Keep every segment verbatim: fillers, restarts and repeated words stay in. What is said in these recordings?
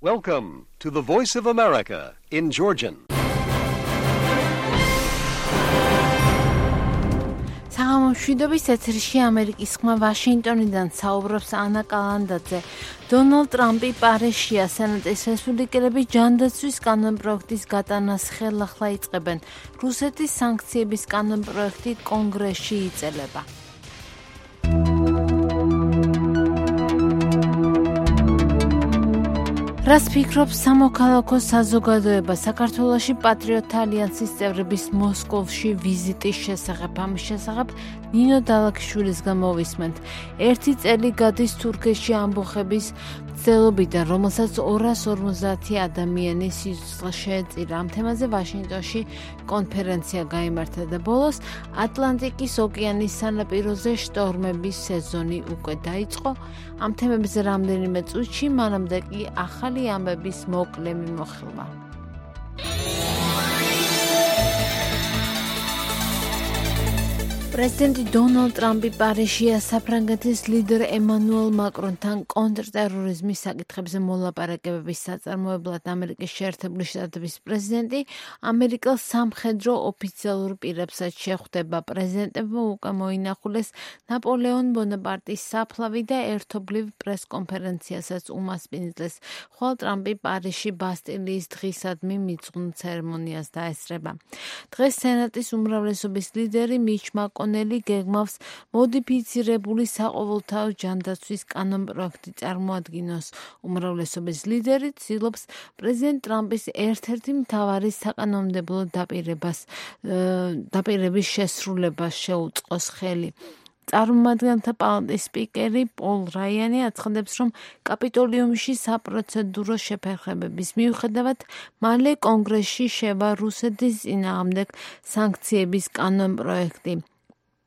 Welcome to the Voice of America in Georgian. საღამომშვიდობის ეთერში ამერიკის ხმა ვაშინგტონიდან საუბრობს ანა კალანდაძე. დონალდ ტრამპი პარიზშია, სენატის რესპუბლიკელები ჯანდაცვის კანონპროექტის გატანას ხელახლა იწყებენ. რუსეთის სანქციების კანონპროექტი კონგრესში იწელება. რას ფიქრობს სამოქალაქო საზოგადოება საქართველოში პატრიოტთა ალიანსის წევრების მოსკოვში ვიზიტის შესახებ? ამის შესახებ ნინო დალაქიშვილისგან მოვისმენთ. ერთი წელი გადის თურქეთში ამბოხების მცდელობიდან, რომელსაც ორას ორმოცდაათი ადამიანი სიცოცხლე შეეწირა. ამ თემაზე ვაშინგტონში კონფერენცია გაიმართა და ბოლოს ატლანტიკის ოკეანის სანაპიროზე შტორმების სეზონი უკვე დაიწყო. ამ თემებზე რამდენიმე წუთში, მანამდე კი ახალი ამბების მოკლე მიმოხილვა. პრეზიდენტი დონალდ ტრამპი პარიზშია, საფრანგეთის ლიდერ ემანუელ მაკრონთან კონტრტერორიზმის საკითხებზე მოლაპარაკებების საწარმოებლად ამერიკის შეერთებული შტატების პრეზიდენტი ამერიკელ სამხედრო ოფიციალურ პირებსაც შეხვდება. პრეზიდენტებმა უკვე მოინახულეს ნაპოლეონ ბონაპარტის საფლავი და ერთობლივ პრესკონფერენციასაც უმასპინძლეს, ხვალ ტრამპი პარიზში ბასტილიის დღისადმი მიძღვნ ცერემონიას დაესწრება. დღეს სენატის უმრავლესობის ლიდერი მიჩ მაკონელი გეგმავს მოდიფიცირებული საყოველთაო ჯანდაცვის კანონპროექტი წარმოადგინოს. უმრავლესობის ლიდერი ცდილობს პრეზიდენტ ტრამპის ერთ-ერთი მთავარი საკანონმდებლო დაპირებას დაპირების შესრულებას შეუწყოს ხელი. წარმომადგენელთა პალატის სპიკერი პოლ რაიანი აცხადებს, რომ კაპიტოლიუმში საპროცედურო შეფერხებების მიუხედავად მალე კონგრესში შევა რუსეთის წინააღმდეგ სანქციების კანონპროექტი.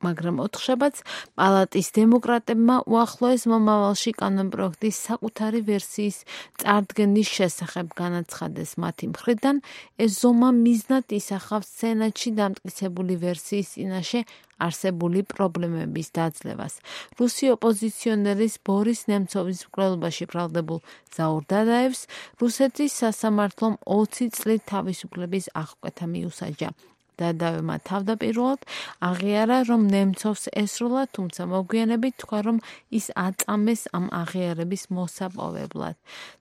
მაგრამ ოთხშაბათს პალატის დემოკრატებმა უახლოეს მომავალში კანონპროექტის საკუთარი ვერსიის წარდგენის შესახებ განაცხადეს. მათი მხრიდან ეს ზომა მიზნად ისახავს სენატში დამტკიცებული ვერსიის წინაშე არსებული პრობლემების დაძლევას. რუსი ოპოზიციონერის ბორის ნემცოვის მკვლელობაში ბრალდებულ ზაურ დადაევს რუსეთის სასამართლომ ოცი წლით თავისუფლების აღკვეთა მიუსაჯა. დადავებმა თავდაპირველად აღიარა, რომ ნემცოვს ესროლა, თუმცა მოგვიანებით თქვა, რომ ის აწამეს ამ აღიარების მოსაპოვებლად.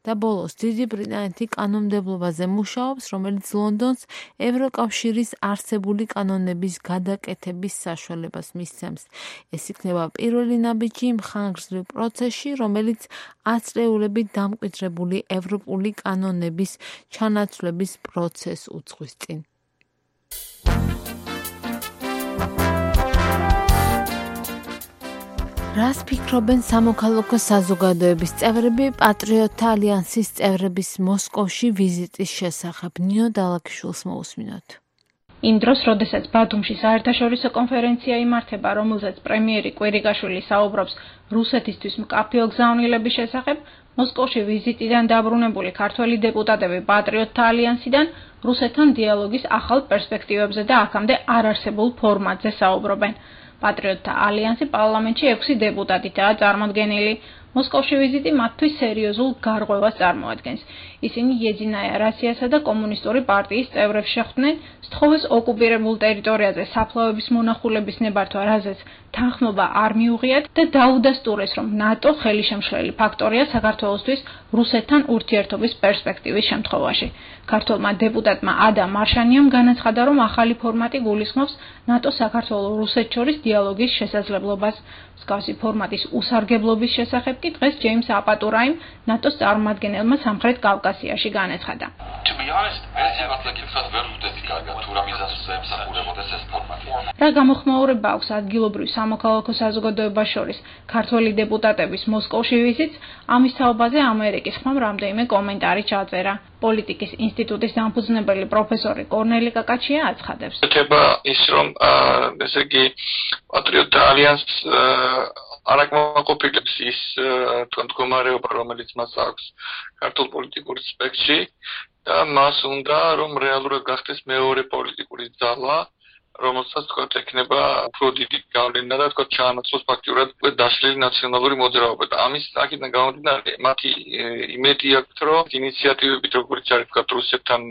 და ბოლოს დიდი ბრიტანეთი კანონმდებლობაზე მუშაობს, რომელიც ლონდონს ევროკავშირის არსებული კანონების გადაკეთების საშუალებას მისცემს. ეს იქნება პირველი ნაბიჯი მხანგრძლივ პროცესში, რომელიც ათწლეულებით დამკვიდრებული ევროპული კანონების ჩანაცვლების პროცესს უძღვის წინ. რას ფიქრობენ სამოქალაქო საზოგადოების წევრები პატრიოტთა ალიანსის წევრების მოსკოვში ვიზიტის შესახებ? ნინო დალაქიშვილს მოусმინოთ. იმ დროს, როდესაც ბათუმში საერთაშორისო კონფერენცია იმართება, რომელზეც პრემიერი კვირიკაშვილი საუბრობს რუსეთისთვის მკაფიო გზავნილების შესახებ, მოსკოვში ვიზიტიდან დაბრუნებული ქართველი დეპუტატები პატრიოტთა ალიანსიდან რუსეთთან დიალოგის ახალ პერსპექტივებზე და აქამდე არ არსებულ ფორმატზე საუბრობენ. პატრიოტთა ალიანსი პარლამენტში ექვსი დეპუტატითაა წარმოდგენილი. მოსკოვში ვიზიტი მათთვის სერიოზულ გარღვევას წარმოადგენს. ისინი იეძინაია რასიასა და კომუნისტური პარტიის წევრებს შეხვდნენ სთხოვეს ოკუპირებულ ტერიტორიაზე საფლავების მონახულების ნებართვა, რაზეც თანხმობა არ მიუღიათ და დაუდასტურეს, რომ ნატო ხელისშემშლელი ფაქტორია საქართველოსთვის რუსეთთან ურთიერთობის პერსპექტივის შემთხვევაში. ქართველმა დეპუტატმა ადა მარშანიამ განაცხადა, რომ ახალი ფორმატი გულისხმობს ნატო-საქართველოს-რუსეთ შორის დიალოგის შესაძლებლობას. მსგავსი ფორმატის უსარგებლობის შესახებ კი დღეს ჯეიმს აპატურაიმ ნატოს წარმომადგენელმა სამხრეთ კავკასიაში განაცხადა. რა გამოხმაურება აქვს ადგილობრივ სამოქალაქო საზოგადოებას შორის ქართველი დეპუტატების მოსკოვში ვიზიტს? ამის თაობაზე ამერიკის ხმამ რამდენიმე კომენტარი ჩაწერა. პოლიტიკის ინსტიტუტის დამფუძნებელი პროფესორი კორნელი კაკაჩია აცხადებს. ეხება ის, რომ ესე იგი პატრიოტთა ალიანსს არაკმაყოფილებს ის მდგომარეობა, რომელიც მას აქვს ქართულ პოლიტიკურ სპექტრში და მას უნდა, რომ რეალურად გახდეს მეორე პოლიტიკური ძალა რომელსაც თქვა ექნება უფრო დიდი გავლენა და თქვა ჩაანაცვლოს ფაქტურად დაშლილი ნაციონალური მოძრაობა და ამის აქედან გამომდინარე მათი იმედი აქვს რომ ინიციატივებით როგორც არის თქვა რუსეთთან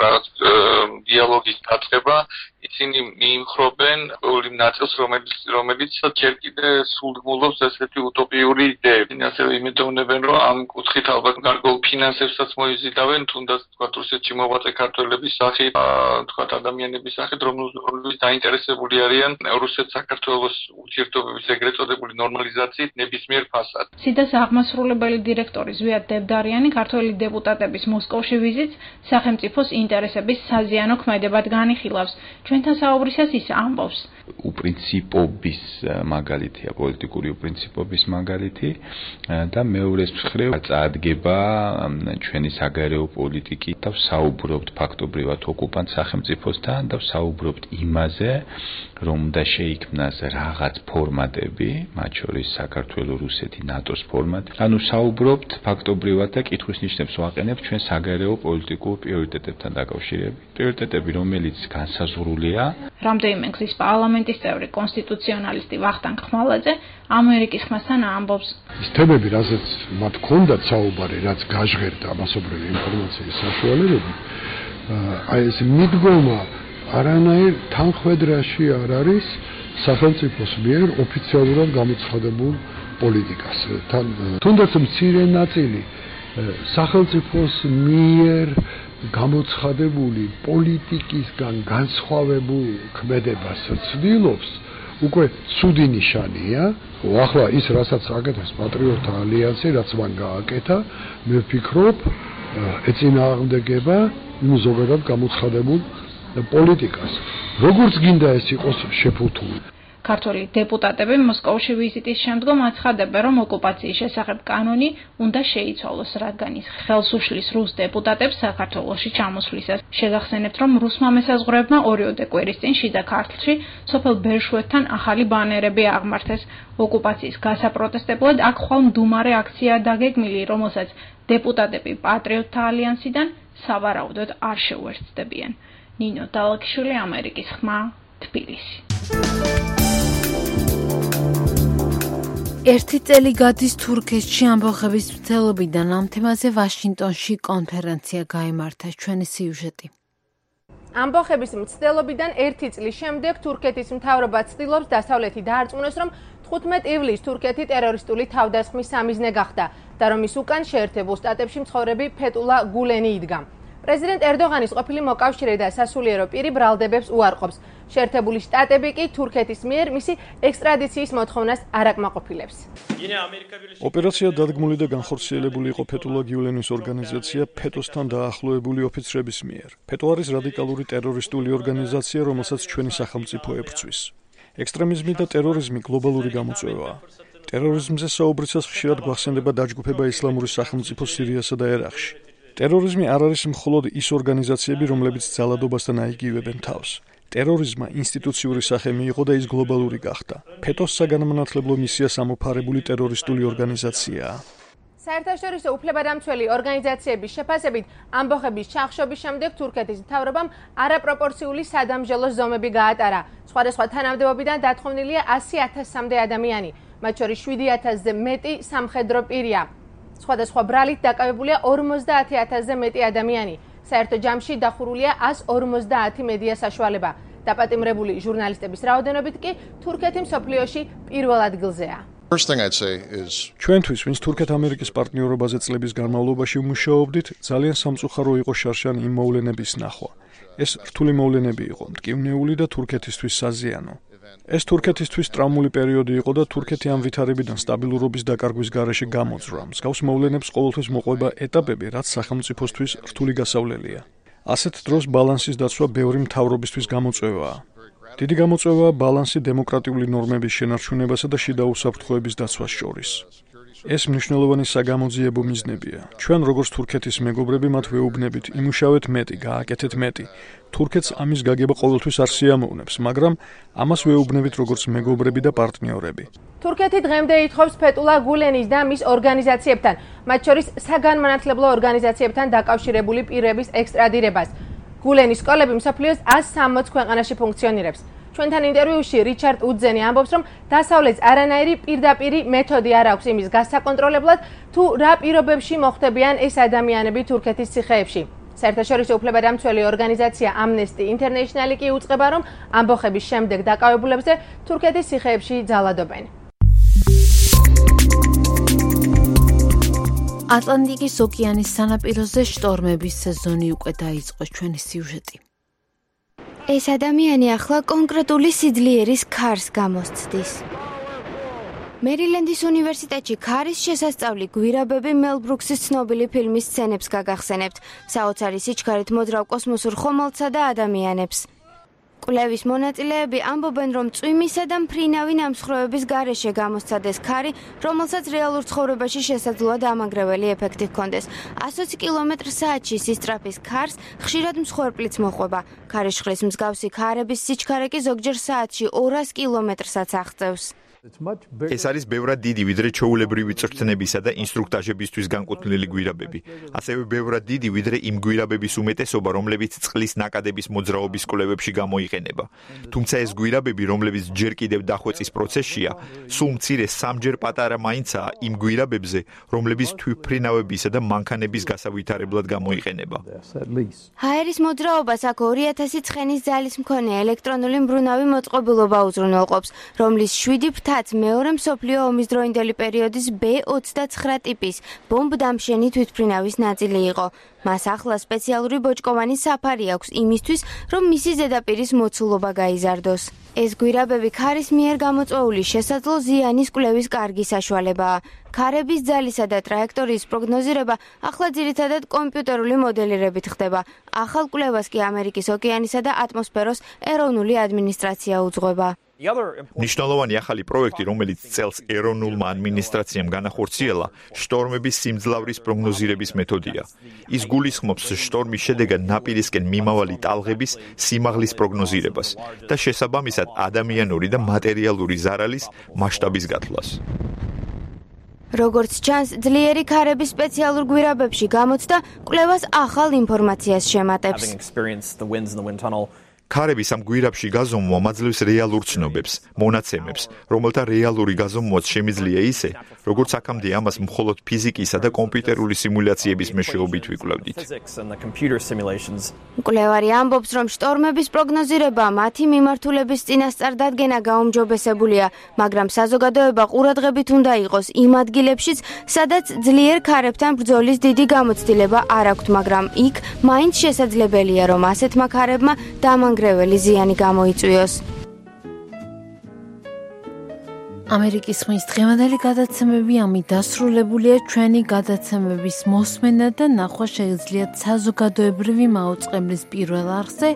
რაღაც დიალოგის დაწყება ისინი მიიმხრობენ ყოველ იმ ნაწილს რომელიც რომელიც ჯერ კიდე სულგმულობს ესეთი უტოპიური იდეები. ასევე იმედოვნებენ რომ ამ კუთხით ალბათ გარკვეულ ფინანსებსაც მოიზიდავენ თუნდაც თქვა რუსეთში მოღვაწე ქართველების სახით თქვა ადამიანების სახით რომლებიც დაინტერესებული არიან რუსეთ-საქართველოს ურთიერთობების ეგრეთ წოდებული ნორმალიზაციით ნებისმიერ ფასად. სიდას აღმასრულებელი დირექტორი ზვიად დებდარიანი ქართველი დეპუტატების მოსკოვში ვიზიტს სახელმწიფოს ინტერესების საზიანო ქმედებად განიხილავს. ჩვენთან საუბრისას ის ამბობს. უპრინციპობის მაგალითია, პოლიტიკური უპრინციპობის მაგალითი და მეორეს მხრივ წარდგება ჩვენი საგარეო პოლიტიკით და საუბრობთ ფაქტობრივად ოკუპანტ სახელმწიფოსთან და საუბრობთ იმაზე, რომ უნდა შეიქმნას რაღაც ფორმატები, მათ შორის საქართველოს, რუსეთი, ნატოს ფორმატი. ანუ საუბრობთ ფაქტობრივად და კითხვის ნიშნებს ვაყენებთ ჩვენ საგარეო პოლიტიკურ პრიორიტეტებთან დაკავშირებით. პრიორიტეტები, რომელიც განსაზღვრულია. რამდენიმე გზის პარლამენტის წევრი კონსტიტუციონალისტი ვახტანგ ხმალაძე ამერიკის ხმასთან ამბობს. ის თემები, რასაც მათ ჰქონდათ საუბარი, რაც გაჟღერდა მასობრივი ინფორმაციის საშუალებები, აი ეს მიდგომა არანაირ თანხმედრაში არ არის სახელმწიფოს მიერ ოფიციალურად გამოცხადებულ პოლიტიკას. თან თუნდაც მცირე ნაწილი სახელმწიფოს მიერ გამოცხადებული პოლიტიკისგან განსხვავებულ ქმედებას ცდილობს, უკვე ცუდი ნიშანია. ახლა ის რასაც აკეთებს პატრიოტთა ალიანსი, რაც მან გააკეთა, მე ვფიქრობ, ეწინააღმდეგება იმ ზოგადად გამოცხადებულ პოლიტიკას. როგორც გინდა ეს იყოს შეფუთული. ქართველი დეპუტატები მოსკოვში ვიზიტის შემდგომ აცხადებენ, რომ ოკუპაციის შესახებ კანონი უნდა შეიცვალოს, რადგან ის ხელს უშლის რუს დეპუტატებს საქართველოში ჩამოსვლისას. შეგახსენებთ, რომ რუსმა მესაზღვრეებმა ორიოდე კვირის წინ შიდა ქართლში სოფელ ბერშვეთთან ახალი ბანერები აღმართეს. ოკუპაციის გასაპროტესტებლად აქ ხვალ მდუმარე აქცია დაგეგმილი, რომელსაც დეპუტატები პატრიოტთა ალიანსიდან სავარაუდოდ არ შეუერთდებიან. ნინო დალაკიშვილი, ამერიკის ხმა, თბილისი. ერთი წელი გადის თურქეთში ამბოხების მცდელობიდან ამ თემაზე ვაშინგტონში კონფერენცია გაიმართა. ჩვენი სიუჟეტი. ამბოხების მცდელობიდან ერთი წლის შემდეგ თურქეთის მთავრობა ცდილობს დასავლეთი დაარწმუნოს, რომ თხუთმეტ ივლისს თურქეთი ტერორისტული თავდასხმის სამიზნე გახდა და რომ ის უკან შეერთებულ შტატებში მცხოვრები ფეტულა გულენი იდგა. პრეზიდენტ ერდოღანის ყოფილი მოკავშირე და სასულიერო პირი ბრალდებებს უარყოფს. შეერთებული შტატები კი თურქეთის მიერ მისი ექსტრადიციის მოთხოვნას არ აკმაყოფილებს. ოპერაცია დადგმული და განხორციელებული იყო ფეტულა გიულენის ორგანიზაცია ფეტოსთან დაახლოებული ოფიცრების მიერ. ფეტო არის რადიკალური ტერორისტული ორგანიზაცია, რომელსაც ჩვენი სახელმწიფო ებრძვის. ექსტრემიზმი და ტერორიზმი გლობალური გამოწვევაა. ტერორიზმზე საუბრისას ხშირად გვახსენდება დაჯგუფება ისლამური სახელმწიფო სირიასა და ერაყში. ტერორიზმი არ არის მხოლოდ ის ორგანიზაციები, რომლებიც ძალადობასთან აიგივებენ თავს. ტერორიზმმა ინსტიტუციური სახე მიიღო და ის გლობალური გახდა. ფეტოს საგანმანათლებლო მისიას ამოფარებული ტერორისტული ორგანიზაციაა. საერთაშორისო უფლებადამცველი ორგანიზაციების შეფასებით, ამბოხების ჩახშობის შემდეგ თურქეთის მთავრობამ არაპროპორციული სადამჟელო ზომები გაატარა. სხვადასხვა თანამდებობიდან დათხოვნილია ასი ათასამდე ადამიანი, მათ შორის შვიდი ათასზე მეტი სამხედრო პირია. სხვადასხვა ბრალით დაკავებულია ორმოცდაათი ათასზე მეტი ადამიანი. საერთო ჯამში დახურულია ასი ორმოცდაათი მედია საშუალება. დაპატიმრებული ჟურნალისტების რაოდენობით კი თურქეთი მსოფლიოში პირველ ადგილზეა. ჩვენთვის, ვინც თურქეთ-ამერიკის პარტნიორობაზე წლების განმავლობაში ვმუშაობდით, ძალიან სამწუხარო იყო შარშან იმ მოვლენების ნახვა. ეს რთული მოვლენები იყო, მტკივნეული და თურქეთისთვის საზიანო. ეს თურქეთისთვის ტრაუმული პერიოდი იყო და თურქეთი ამ ვითარებიდან სტაბილურობის დაკარგვის გარეშე გამოძრა. მსგავს მოვლენებს ყოველთვის მოყვება ეტაპები, რაც სახელმწიფოსთვის რთული გასავლელია. ასეთ დროს ბალანსის დაცვა ბევრი მთავრობისთვის გამოწვევაა. დიდი გამოწვევაა ბალანსი დემოკრატიული ნორმების შენარჩუნებასა და შიდა უსაფრთხოების დაცვას შორის. ეს მნიშვნელოვანი საგამოძიებო მიზნებია. ჩვენ როგორც თურქეთის მეგობრები მათ ვეუბნებით, იმუშავეთ მეტი, გააკეთეთ მეტი. თურქეთს ამის გაგება ყოველთვის არ სიამოვნებს, მაგრამ ამას ვეუბნებით როგორც მეგობრები და პარტნიორები. თურქეთი დღემდე ითხოვს ფეტულა გულენის და მის ორგანიზაციებთან, მათ შორის საგანმანათლებლო ორგანიზაციებთან დაკავშირებული პირების ექსტრადირებას. გულენის სკოლები მსოფლიოს ას სამოც ქვეყანაში ფუნქციონირებს. ჩვენთან ინტერვიუში რიჩარდ უდზენი ამბობს, რომ დასავლეთს არანაირი პირდაპირი მეთოდი არ აქვს იმის გასაკონტროლებლად, თუ რა პირობებში მოხვდებიან ეს ადამიანები თურქეთის ციხეებში. საერთაშორისო უფლებადამცველი ორგანიზაცია Amnesty International კი უწყება, რომ ამბოხების შემდეგ დაკავებულებზე თურქეთის ციხეებში ძალადობენ. ატლანტიკის ოკეანის სანაპიროზე შტორმების სეზონი უკვე დაიწყო. ჩვენი სიუჟეტი. ეს ადამიანი ახლა კონკრეტული სიძლიერის ქარს გამოსცდის. მერილენდის უნივერსიტეტში ქარის შესასწავლი გვირაბები მელ ბრუქსის ცნობილი ფილმის სცენებს გაგახსენებთ, საოცარი სიჩქარით მოძრავ კოსმოსურ ხომალდსა და ადამიანებს. კვლევის მონაწილეები ამბობენ, რომ წვიმისა და მფრინავი ნამსხვრევების გარეშე გამოსცადეს ქარი, რომელსაც რეალურ ცხოვრებაში შესაძლოა დამანგრეველი ეფექტი ჰქონდეს. ასოცი კილომეტრ საათში სისწრაფის ქარს ხშირად მსხვერპლიც მოყვება. ქარიშხლის მსგავსი ქარების სიჩქარე კი ზოგჯერ საათში ორას კილომეტრსაც აღწევს. ეს არის ბევრად დიდი, ვიდრე ჩვეულებრივი წვრთნებისა და ინსტრუქტაჟებისთვის განკუთვნილი გვირაბები. ასევე ბევრად დიდი, ვიდრე იმ გვირაბების უმეტესობა, რომლებიც წყლის ნაკადების მოძრაობის კვლევებში გამოიყენება. თუმცა ეს გვირაბები, რომლებიც ჯერ კიდევ დახვეწის პროცესშია, სულ მცირე სამჯერ პატარა მაინცაა იმ გვირაბებზე, რომლებიც თვითმფრინავებისა და მანქანების გასავითარებლად გამოიყენება. ჰაერის მოძრაობას აქ ორი ათასი ცხენის ძალის მქონე ელექტრონული მბრუნავი მოწყობილობა უზრუნველყოფს, რომლის შვიდი თაც მეორე მსოფლიო ომის დროინდელი პერიოდის ბ ოცდაცხრა ტიპის ბომბდამშენი თვითმფრინავის ნაწილი იყო. მას ახლა სპეციალური ბოჭკოვანი საფარი აქვს იმისთვის, რომ მისი ზედაპირის მოცულობა გაიზარდოს. ეს გვირაბები ქარის მიერ გამოწვეული შესაძლო ზიანის კვლევის კარგი საშუალებაა. ქარების ძალისა და ტრაექტორიის პროგნოზირება ახლა ძირითადად კომპიუტერული მოდელირებით ხდება. ახალ კვლევას კი ამერიკის ოკეანისა და ატმოსფეროს ეროვნული ადმინისტრაცია უძღვება. ნიშნულოვანი ახალი პროექტი, რომელიც წელს ეროვნულმა ადმინისტრაციამ განახორციელა, შტორმების სიმძლავრის პროგნოზირების მეთოდია. ის გულისხმობს შტორმის შედეგად ნაპირისკენ მიმავალი ტალღების სიმაღლის პროგნოზირებას და შესაბამისად ადამიანური და მატერიალური ზარალის მასშტაბის გათვლას. როგორც ჩანს, ძლიერი ქარების სპეციალურ გვირაბებში გამოცდა კვლევას ახალ ინფორმაციას შემატებს. ქარების ამ გვირაბში გაზომვა მაძლევს რეალურ ცნობებს, მონაცემებს, რომელთა რეალური გაზომვაც შემიძლია ისე, როგორც აქამდე ამას მხოლოდ ფიზიკისა და კომპიუტერული სიმულაციების მეშვეობით ვიკვლევდით. მკვლევარი ამბობს, რომ შტორმების პროგნოზირება მათი მიმართულების წინასწარ დადგენა გაუმჯობესებულია, მაგრამ საზოგადოება ყურადღებით უნდა იყოს იმ ადგილებშიც, სადაც ძლიერ ქარებთან ბრძოლის დიდი გამოცდილება არ აქვთ, მაგრამ იქ მაინც შესაძლებელია, რომ ასეთმა ქარებმა დამანგრეველი ზიანი გამოიწვიოს. ამერიკის ხმის დღევანდელი გადაცემები ამით დასრულებულია. ჩვენი გადაცემების მოსმენა და ნახვა შეეძლიათ საზოგადოებრივი მაუწყებლის პირველ არხზე,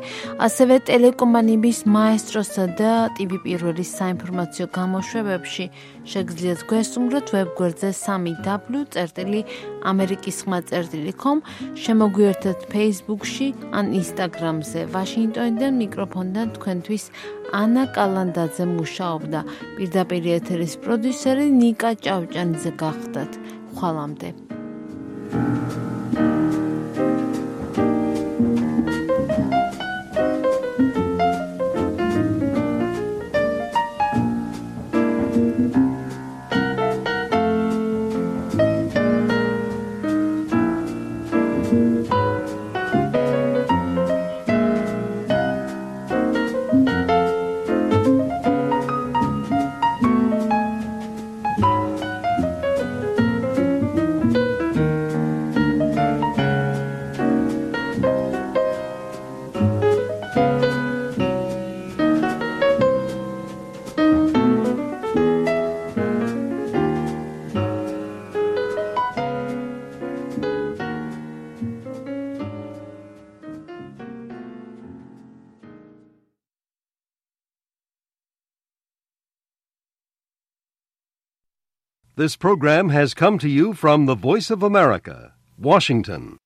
ასევე ტელეკომპანიების მაესტროსა და ტივი პირველის საინფორმაციო გამოშვებებში. შეგიძლიათ გვესტუმროთ ვებგვერდზე სამი დაბლიუ წერტილი ამერიკის ხმა წერტილი com, შემოგვიერთეთ Facebook-ში ან Instagram-ზე. ვაშინგტონიდან მიკროფონიდან თქვენთვის ანა კალანდაძე მუშაობდა. პირდაპირ ეთერის პროდიუსერი ნიკა ჭავჭანიძე გახდათ. ხვალამდე. This program has come to you from the Voice of America, Washington.